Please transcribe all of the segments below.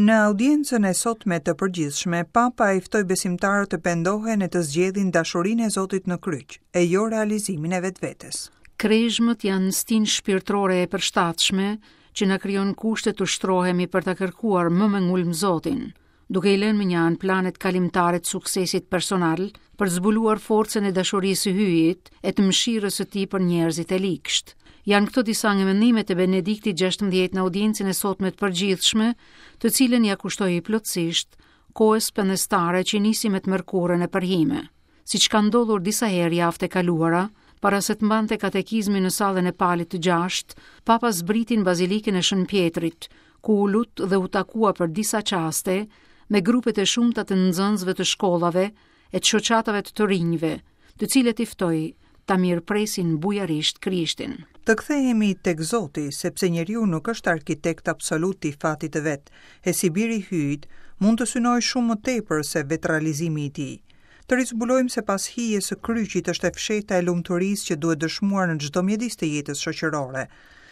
Në audiencën e sotme të përgjithshme, Papa i ftoi besimtarët të pendohen e të zgjedhin dashurinë e Zotit në kryq, e jo realizimin e vetvetes. Krezhmët janë stinë shpirtërore e përshtatshme që na krijon kushte të ushtrohemi për ta kërkuar më me ngulm Zotin, duke i lënë mënjanë planet kalimtare të suksesit personal për të zbuluar forcën e dashurisë së Hyjit e të mëshirës së tij për njerëzit e ligshtë. Janë këto disa nga mendimet e Benediktit XVI në audiencën e sotme të përgjithshme, të cilën ia kushtoi plotësisht kohës pendestare që nisi me të mërkurën e përhime. Siç ka ndodhur disa herë javët e kaluara, para se të mbante katekizmin në sallën e Palit të Gjashtë, Papa zbriti në Bazilikën e Shën Pjetrit, ku u lut dhe u takua për disa çaste me grupet e shumta të nxënësve të shkollave e të shoqatave të të rinjve, të cilët i ftoi ta mirëpresin bujarisht Krishtin. Të kthehemi tek Zoti, sepse njeriu nuk është arkitekt absolut i fatit të vet, e si bir i Hyjit, mund të synojë shumë më tepër se vetërealizimi i tij. Të rizbulojmë se pas hijes së kryqit është e fshehta e lumturisë që duhet dëshmuar në çdo mjedis të jetës shoqërore.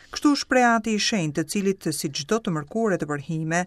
Kështu u shpreh Ati i Shenjtë, të cilit, si çdo të mërkurë të përhime,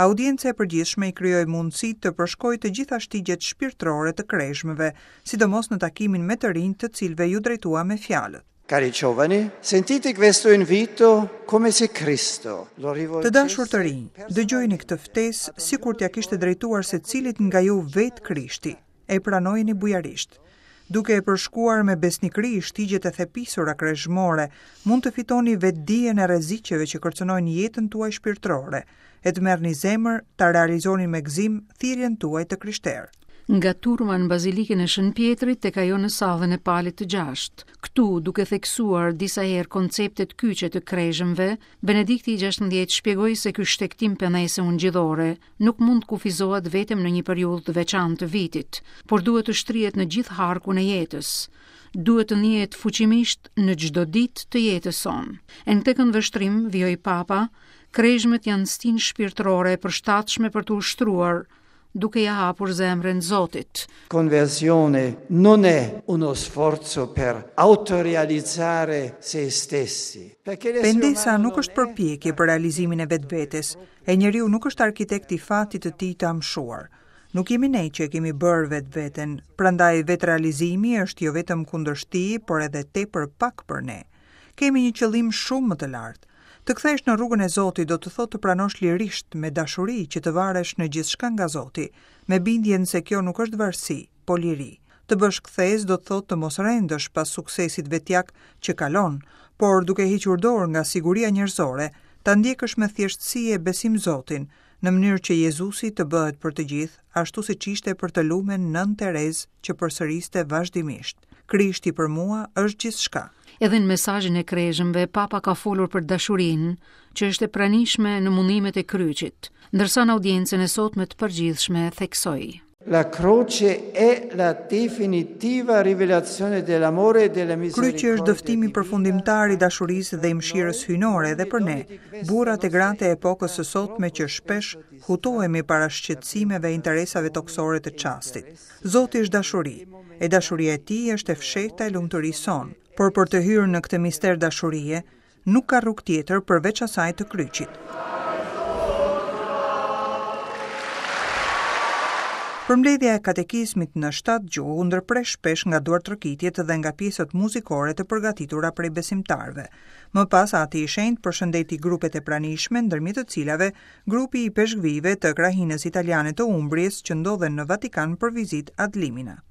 audienca e përgjithshme i krijoi mundësitë të përshkojë të gjitha shtigjet shpirtërore të krezhmëve, sidomos në takimin me të rinjtë të cilëve iu drejtua me fjalët. Cari giovani, sentite questo invito come se Cristo lo rivolgesse Të dashur të rinj, dëgjojeni këtë ftesë sikur t'ia kishte drejtuar secilit nga ju vetë Krishti, e pranojeni bujarisht. Duke e përshkuar me besnikëri shtigjet e thepisura krezhmore, mund të fitoni vetëdijen e rreziqeve që kërcënojnë jetën tuaj shpirtërore, e të merrni zemër ta realizoni me gëzim thirrjen tuaj të krishterë. Nga turma në Bazilikën e Shën Pjetrit tek ajo në sallën e Palit të Gjashtë. Këtu, duke theksuar disa herë konceptet kyçe të krezhmëve, Benedikti i XVI shpjegoi se ky shtegtim pendese ungjillore nuk mund të kufizohet vetëm në një periudhë të veçantë të vitit, por duhet të shtrihet në gjithë harkun e jetës. Duhet të ndihet fuqimisht në çdo ditë të jetës sonë. E në këtë këndvështrim, vijoi Papa, Krezhmët janë stinë shpirtërore e përshtatshme për t'u ushtruar, duke ia hapur zemrën Zotit. Conversione non è uno sforzo per autorealizzare se stessi. Pendesa nuk është përpjekje për realizimin e vetvetes, e njeriu nuk është arkitekt i fatit të tij të amshuar. Nuk jemi ne që e kemi bërë vetveten, prandaj vetërealizimi është jo vetëm kundërshti, por edhe tepër pak për ne. Kemi një qëllim shumë më të lartë. Të kthehesh në rrugën e Zotit do të thotë të pranosh lirisht, me dashuri, që të varesh në gjithçka nga Zoti, me bindjen se kjo nuk është varësi, po liri. Të bësh kthesë do të thotë të mos rendësh pas suksesit vetjak që kalon, por duke hequr dorë nga siguria njerëzore, ta ndjekësh me thjeshtësi e besim Zotin, në mënyrë që Jezusi të bëhet për të gjithë, ashtu siç ishte për të lumen Nënë Terezë që përsëriste vazhdimisht, Krishti për mua është gjithçka. Edhe në mesazhin e krezhmëve, Papa ka folur për dashurinë, që është e pranishme në mundimet e kryqit, ndërsa në audiencën e sotme të përgjithshme theksoi. La croce è la definitiva rivelazione dell'amore e della misericordia. Kryqi është dëftimi përfundimtar i dashurisë dhe i mëshirës hyjnore edhe për ne, burrat e gratë e epokës së sotme që shpesh hutohemi para shqetësimeve e interesave tokësore të çastit. Zoti është dashuri, e dashuria e tij është e fshehta e lumturisë sonë. Por për të hyrë në këtë mister dashurie, Nuk ka rrugë tjetër përveç asaj të kryqit. Përmbledhja e katekizmit në shtatë gjuhë u ndërpre shpesh nga duartrokitjet dhe nga pjesët muzikore të përgatitura prej besimtarëve. Më pas Ati i Shenjtë përshëndeti grupet e pranishme, ndërmjet të cilave grupi i ipeshkvijve të krahinës italiane të Umbries që ndodhen në Vatikan për vizitë ad limina.